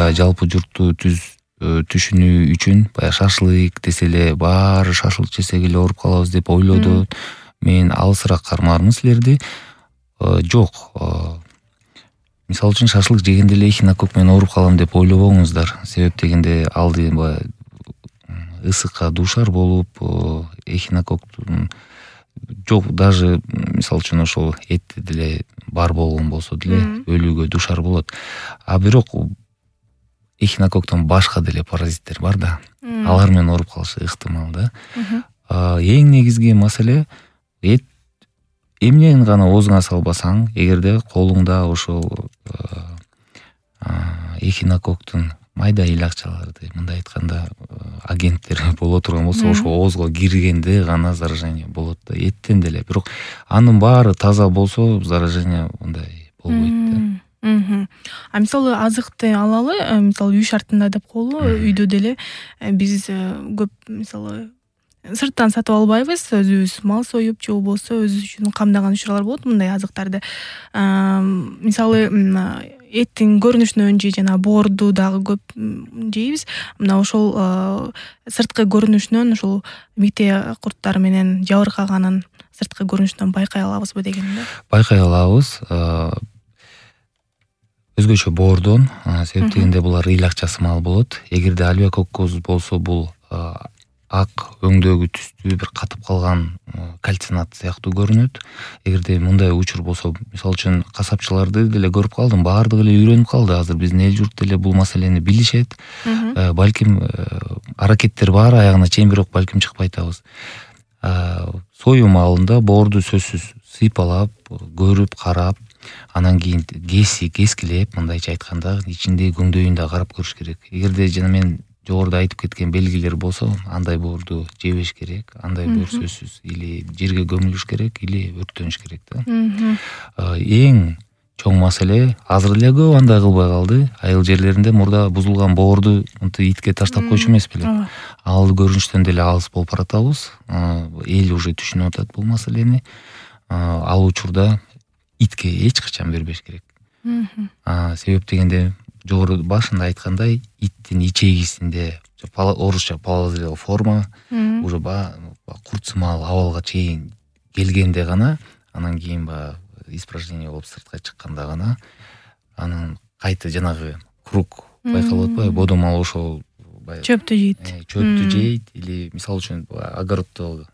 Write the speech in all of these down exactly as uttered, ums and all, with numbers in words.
баягы жалпы журтту түз түшүнүү үчүн баягы шашлык десе эле баары шашлык жесек эле ооруп калабыз деп ойлоду. Мен алысыраак кармаармын силерди. Жок. Мисалы үчүн шашлык жегенде эле эхинокок менен ооруп калам деп ойлобоңуздар. Себеп дегенде алды баягы ысыкка дуушар болуп, эхинококтун жок даже мисалы үчүн ошол этти деле бар болгон болсо деле өлүүгө дуушар болот. А бирок эхинококтон башка деле паразиттер бар да. Алар менен ооруп калышы ыктымал да. Эң негизги маселе эт эмнени гана оозуңа салбасаң, эгерде колуңда ошол эхинококтун майда илакчаларды, мындай айтканда агенттер боло турган болсо, ошо оозго киргенде гана заражение болот да. Эттен деле. Бирок анын баары таза болсо, заражение мындай болбойт да. А мисалы азыкты алалы, мисалы үй шартында деп коелу, үйдө деле биз көп мисалы сырттан сатып албайбыз, өзүбүз мал союп же болбосо өзүбүз үчүн камдаган учурлар болот мындай азыктарды. Мисалы эттин көрүнүшүнөн же жана боорду дагы көп жейбиз. Мына ошол сырткы көрүнүшүнөн ошол мите курттары менен жабыркаганын сырткы көрүнүшүнөн байкай алабызбы деген да. Байкай алабыз. Өзгөчө боордон, себеп дегенде булар ыйлакчасы мал болот. Эгерде альвеококкоз болсо бул ак өңдөгү түстүү бир катып калган кальцинат сыяктуу көрүнөт. Эгерде мындай учур болсо, мисалы үчүн касапчыларды деле көрүп калдым, баардыгы эле үйрөнүп калды. Азыр биздин эл журт деле бул маселени билишет. Балким аракеттер бар аягына чейин, бирок балким чыкпай атабыз. Сою маалында боорду сөзсүз сыйпалап, көрүп, карап, анан кийин кеси, кескилеп, мындайча айтканда, ичиндеги көңдөйүн да карап көрүш керек. Эгерде жана мен жогоруда айтып кеткен белгилер болсо, андай боорду жебеш керек, андай боор сөзсүз или жерге көмүлүш керек, или өрттөнүш керек да. Эң чоң маселе азыр эле көп андай кылбай калды. Айыл жерлеринде мурда бузулган боорду итке таштап койчу эмес беле. Ал көрүнүштөн деле алыс болуп баратабыз. Эл уже түшүнүп атат бул маселени. Ал учурда итке эч качан бербеш керек. Себеп дегенде жогору башында айткандай, иттин ичегисинде орусча полозрелая форма уже куртсымал абалга чейин келгенде гана, анан кийин баягы испражнение болуп сыртка чыкканда гана анын кайта жанагы круг байкалып атпайбы, бодомал ошол чөптү жейт. Чөптү жейт или мисалы үчүн огороддо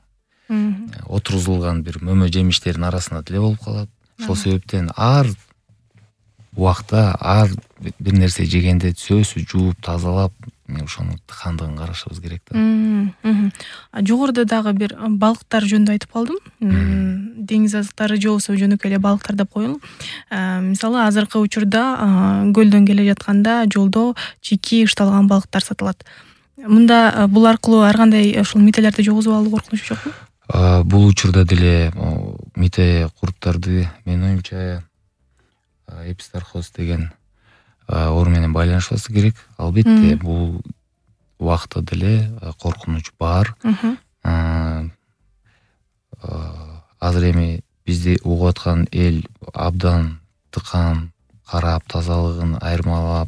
отургузулган бир мөмө жемиштердин арасында деле болуп калат. Ошол себептен ар убакта ар бир нерсе жегенде сөзсүз жууп, тазалап, ошонун тыкандыгын карашыбыз керек да. Жогоруда дагы бир балыктар жөнүндө айтып калдым. Деңиз азыктары же болбосо жөнөкөй эле балыктар деп коелу. Мисалы азыркы учурда көлдөн келе жатканда жолдо чийки ышталган балыктар сатылат. Мында бул аркылуу ар кандай ошол мителерди жогозуп алуу коркунучу жокпу? Бул учурда деле мите курттарды менин оюмча эпистархоз деген оору менен байланышпасы керек. Албетте бул убакта деле коркунуч бар. Азыр эми бизди угуп аткан эл абдан тыкан карап, тазалыгын айырмалап,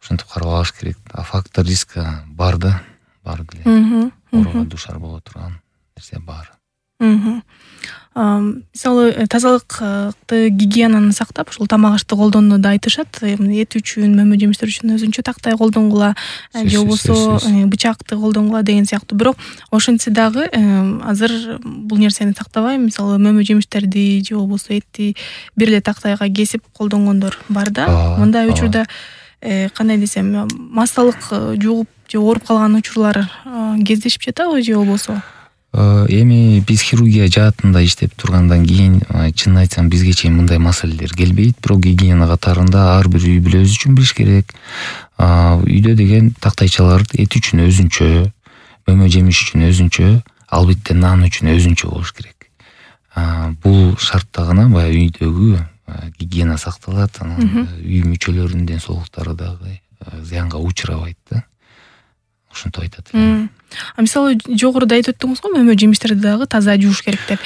ошентип карабаш керек. А фактор риска бар да, бар деле. Ооруга дуушар боло турган нерсе бар. Мисалы тазалыкты, гигиенаны сактап, ушул тамак ашты колдонууну да айтышат. Эт үчүн, мөмө жемиштер үчүн өзүнчө тактай колдонгула, же болбосо бычакты колдонгула деген сыяктуу. Бирок ошентсе дагы азыр бул нерсени тактабай, мисалы мөмө жемиштерди же болбосо этти бир эле тактайга кесип колдонгондор бар да. Мындай учурда кандай десем, массалык жугуп же ооруп калган учурлар кездешип жатабы же болбосо? Эми биз хирургия жаатында иштеп тургандан кийин, чынын айтсам, бизге чейин мындай маселелер келбейт. Бирок гигиена катарында ар бир үй бүлө өзү үчүн билиш керек. Үйдө деген тактайчалар эт үчүн өзүнчө, мөмө жемиш үчүн өзүнчө, албетте нан үчүн өзүнчө болуш керек. Бул шартта гана баягы үйдөгү гигиена сакталат, анан үй мүчөлөрүнүн ден соолуктары дагы зыянга учурабайт да. Ошентип айтат. Мисалы жогоруда айтып өттүңүз го, мөмө жемиштерди дагы таза жууш керек деп.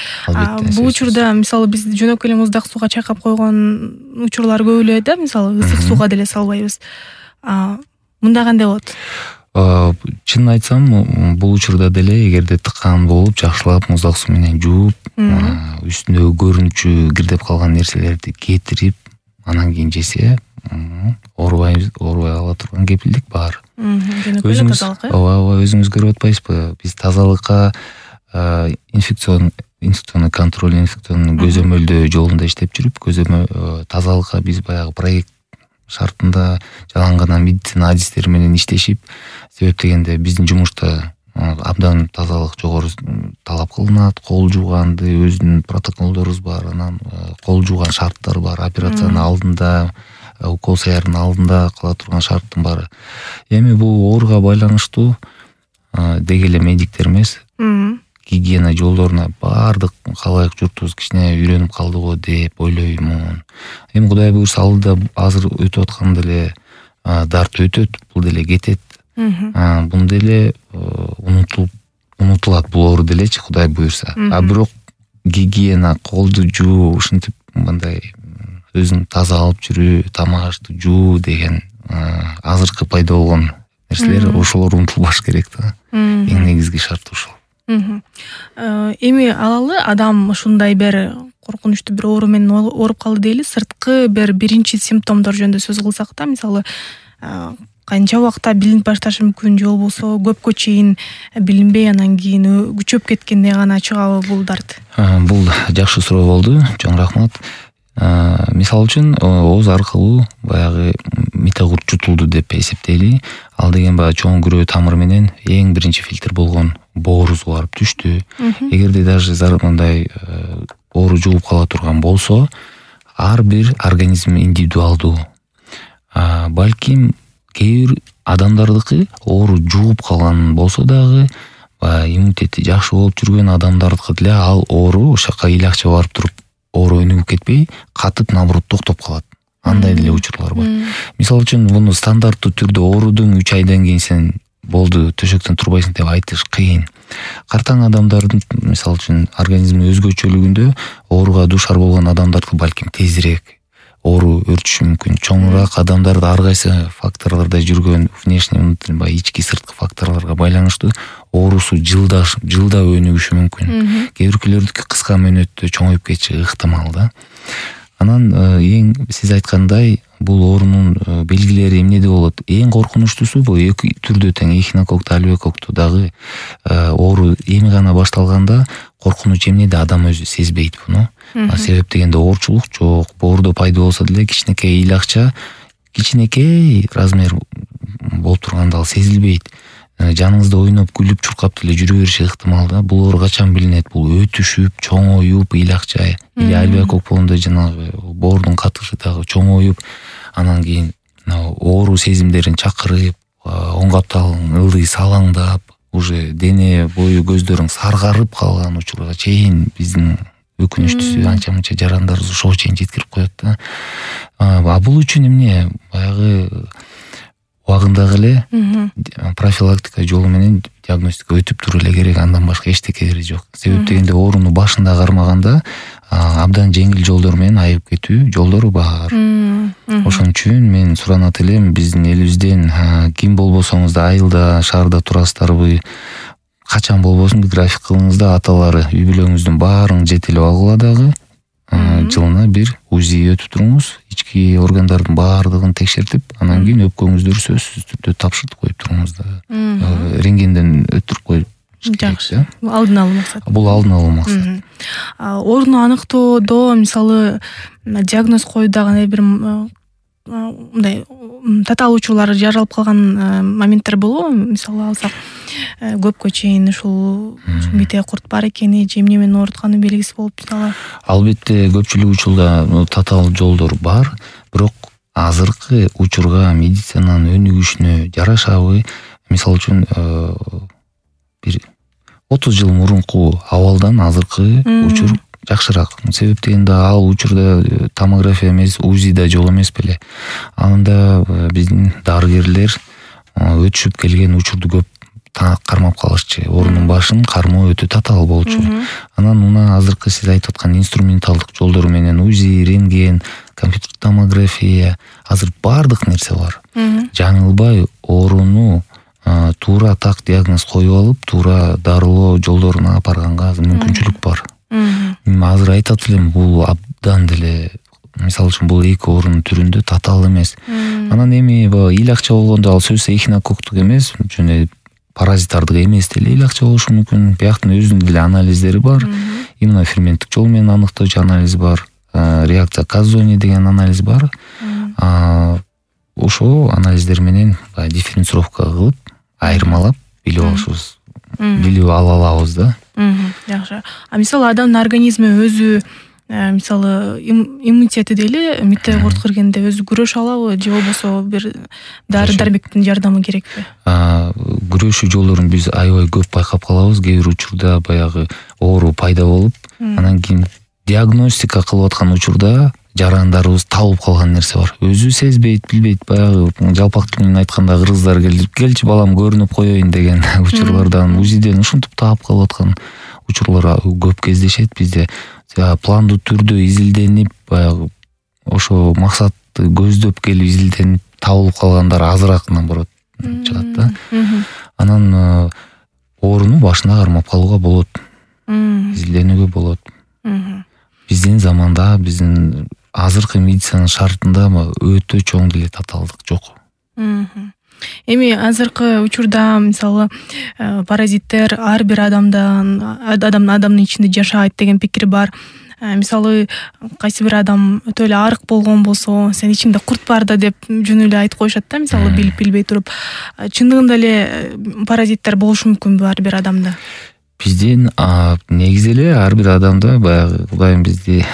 Бул учурда мисалы биз жөнөкөй эле муздак сууга чайкап койгон учурлар көп эле да, мисалы ысык сууга деле салбайбыз. мындай кандай болот? Чынын айтсам, бул учурда деле эгерде тыккан болуп, жакшылап муздак суу менен жууп, үстүндөгү көрүнүкчү кирдеп калган нерселерди кетирип, анан кийин жесе, оорубай оорубай ала турган кепилдик бар. Жөнөкөй эле тазалык, э? Ооба, ооба, өзүңүз көрүп атпайсызбы? Биз тазалыкка инфекцион инфекционный контроль, инфекционный көзөмөлдөө жолунда иштеп жүрүп, көзөмөл тазалыкка биз баягы проект шартында жалаң гана медицина адистери менен иштешип, себеп дегенде биздин жумушта абдан тазалык жогору талап кылынат, кол жууганды өзүнүн протоколдорубуз бар, анан кол жууган шарттар бар, операциянын алдында, укол сыярдын алдында кыла турган шарттын баары. Эми бул ооруга байланыштуу деги эле медиктер эмес, гигиена жолдоруна баардык калайык журтубуз кичине үйрөнүп калдыго деп ойлоймун. Эми Кудай буйрса алда азыр өтүп аткан деле дарт өтөт, бул деле кетет. Бун деле унутулуп унутулат бул оору делечи, Кудай буйрса. А бирок гигиена, колду жуу, ушинтип мындай өзүң таза алып жүрүү, тамак ашты жуу деген азыркы пайда болгон нерселер, ошолор унутулбаш керек да. Эң негизги шарт ушул. Эми алалы адам ушундай бир коркунучтуу бир оору менен ооруп калды дейли, сырткы бир биринчи симптомдор жөнүндө сөз кылсак да, мисалы канча убакта билинип башташы мүмкүн, же болбосо көпкө чейин билинбей анан кийин күчөп кеткенде гана чыгабы бул дарт? Бул жакшы суроо болду, чоң рахмат. Мисалы үчүн ооз аркылуу баягы митогурт жутулду деп эсептейли. Ал деген баягы чоң күрөө тамыр менен эң биринчи фильтр болгон боорубузга барып түштү. Эгерде даже мындай оору жугуп кала турган болсо, ар бир организм индивидуалдуу. Балким кээ бир адамдардыкы оору жугуп калган болсо дагы, иммунитети жакшы болуп жүргөн адамдардыкы деле ал оору ошол жака ыйлакча барып туруп оору өнүгүп кетпей, катып наоборот токтоп калат. Андай деле учурлар бар. Мисалы үчүн муну стандарттуу түрдө оорудун үч айдан кийин сен болду, төшөктөн турбайсың деп айтыш кыйын. Картаң адамдардын мисалы үчүн организми өзгөчөлүгүндө ооруга дуушар болгон адамдардыкы балким тезирээк оору өрчүшү мүмкүн. Чоңураак адамдарда ар кайсы факторлордо жүргөн внешний, внутренний, ички сырткы факторлорго байланыштуу оорусу жылда жылда өнүгүшү мүмкүн. Кээ биркилөрдүкү кыска мөөнөттө чоңоюп кетиши ыктымал да. Анан эң сиз айткандай бул оорунун белгилери эмнеде болот? Эң коркунучтуусу бул эки түрдө тең, эхинококкту, альвеококту дагы оору эми гана башталганда коркунуч эмнеде адам өзү сезбейт буну. Себеп дегенде оорчулук жок, боордо пайда болсо деле кичинекей ыйлакча, кичинекей размер болуп турганда ал сезилбейт. Жаныңызда ойноп, күлүп, чуркап деле жүрө бериши ыктымал да. Бул оору качан билинет? Бул өтүшүп, чоңоюп, ыйлакча, или альвеокок болгондо жанагы боордун катышы дагы чоңоюп, анан кийин оору сезимдерин чакырып, оң капталың ылдый салаңдап, уже дене бою көздөрүң саргарып калган учурга чейин биздин өкүнүчтүүсү анча мынча жарандарыбыз ошого чейин жеткирип коет да. А бул үчүн эмне баягы убагындагы эле профилактика жолу менен диагностика өтүп туруп эле керек, андан башка эчтекери жок. Себеп дегенде ооруну башында кармаганда абдан жеңил жолдор менен айыгып кетүү жолдору бар. Ошон үчүн мен суранат элем, биздин элибизден ким болбосоңуз да айылда, шаарда турасыздарбы, качан болбосун график кылыңыз да, аталары үй бүлөңүздүн баарын жетелеп алгыла дагы жылына бир УЗИ өтүп туруңуз, ички органдардын баардыгын текшертип, анан кийин өпкөңүздү сөзсүз түрдө тапшыртып коюп туруңуз да. Рентгенден өттүрүп коюп. Жакшы. Алдын алуу максат. Бул алдын алуу максат. Ооруну аныктоодо мисалы диагноз коюуда кандай бир мындай татаал учурлар жаралып калган моменттер болобу? Мисалы алсак, көпкө чейин ушул мите курт бар экени, же эмне менен оорутканы белгиси болуп мисалы. Албетте көпчүлүк учурда татаал жолдор бар, бирок азыркы учурга медицинанын өнүгүшүнө жарашабы, мисалы үчүн бир отуз жыл мурунку абалдан азыркы учур жакшыраак. Себеп дегенде ал учурда томография эмес, УЗИ да жок эмес беле. Анда биздин дарыгерлер өтүшүп келген учурду көп кармап калышчу, оорунун башын кармоо өтө татаал болчу. Анан мына азыркы сиз айтып аткан инструменталдык жолдору менен УЗИ, рентген, компьютердик томография, азыр баардык нерсе бар. Жаңылбай ооруну туура так диагноз коюп алып, туура дарылоо жолдоруна алып барганга мүмкүнчүлүк бар. Мен азыр айтат элем, бул абдан деле, мисалы үчүн бул эки оорунун түрүндө татаал эмес. Анан эми ил акча болгондо ал сөзсүз эхинококктук эмес, жөн паразиттардык эмес деле ил акча болушу мүмкүн. Бияктын өзүнүн деле анализдери бар. Иммуноферменттик жол менен аныктоочу анализ бар. Реакция Казони деген анализ бар. Ошол анализдер менен дифференцировка кылып, айырмалап билип алышыбыз, билип ала алабыз да. Жакшы. А мисалы адамдын организми өзү, мисалы иммунитети дейли, метеорит киргенде өзү күрөшө алабы же болбосо бир дары дармектин жардамы керекпи? Күрөшүү жолдорун биз аябай көп байкап калабыз. Кээ бир учурда баягы оору пайда болуп, анан кийин диагностика кылып аткан учурда жарандарыбыз табылып калган нерсе бар. Өзү сезбейт, билбейт, баягы жалпак тил менен айтканда кыргыздар келип, келчи балам көрүнүп коеюн деген учурлардан УЗИден ушинтип таап калып аткан учурлар көп кездешет bizde. Пландуу түрдө изилденип, баягы ошо максатты көздөп келип изилденип табылып калгандар азыраак наоборот чыгат да. Анан ооруну башына кармап калууга болот. Изилденүүгө болот. Биздин заманда, биздин азыркы медицина шартында өтө чоң деле татаалдык жок. Эми азыркы учурда мисалы паразиттер ар бир адамдан адам адамдын ичинде жашайт деген пикир бар. Мисалы кайсы бир адам өтө эле арык болгон болсо, сен ичиңде курт бар да деп жөн эле айтып коюшат да, мисалы билип билбей туруп. Чындыгында эле паразиттер болушу мүмкүнбү ар бир адамда? Биздин негизи эле ар бир адамда баягы Кудайым бизди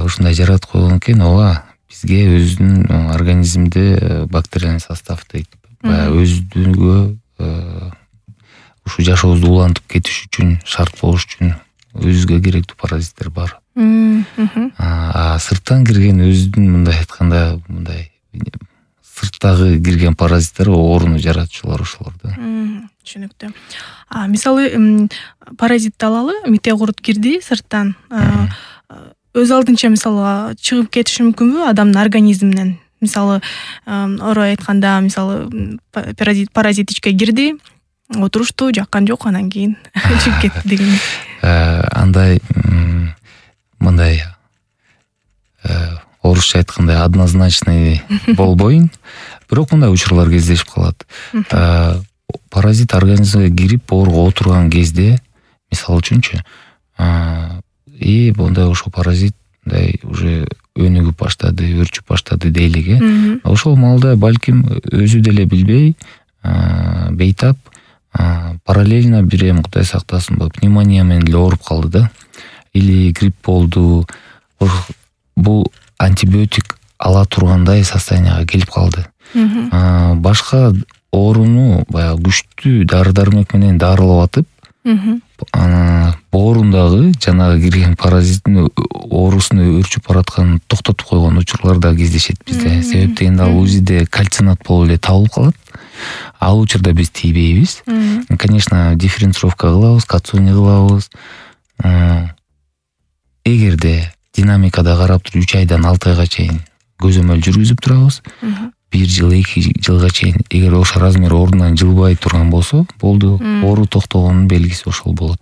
ушундай жаратып койгон экен, ооба. Бизге өзүнүн организмде бактериальный состав дейт. Баягы өзүгө ушу жашообузду улантып кетиш үчүн, шарт болуш үчүн өзүгө керектүү паразиттер бар. А сырттан кирген өзүнүн мындай айтканда, мындай сырттагы кирген паразиттер ооруну жаратуучулар ошолор да. Түшүнүктүү. А мисалы паразитти алалы, метеорит кирди сырттан. Өз алдынча мисалы чыгып кетиши мүмкүнбү адамдын организминен? Мисалы орой айтканда, мисалы паразит паразит ичке кирди, отурушту, жаккан жок, анан кийин чыгып кетти деген. Андай мындай орусча айткандай однозначный болбойн, бирок мындай учурлар кездешип калат. Паразит организмге кирип ооруга отурган кезде, мисалы үчүнчү, и мындай ошо паразит мындай уже өнүгүп баштады, өрчүп баштады дейлиги. Ошол маалда балким өзү деле билбей, бейтап параллельно бир эм Кудай сактасын, пневмония менен деле ооруп калды да. Или грипп болду. Бул антибиотик ала тургандай состоянияга келип калды. Башка ооруну баягы күчтүү дары-дармек менен дарылап атып, боорундагы жанагы кирген паразиттин оорусун өрчүп баратканын токтотуп койгон учурлар да кездешет бизде. Себеп дегенде ал УЗИде кальцинат болуп эле табылып калат. Ал учурда биз тийбейбиз. Конечно, дифференцировка кылабыз, Казони кылабыз. Эгерде динамикада карап туруп үч айдан алты айга чейин көзөмөл жүргүзүп турабыз. бир жыл, эки жылга чейин эгер ошо размер ордунан жылбай турган болсо, болду. Оору токтогонун белгиси ошол болот.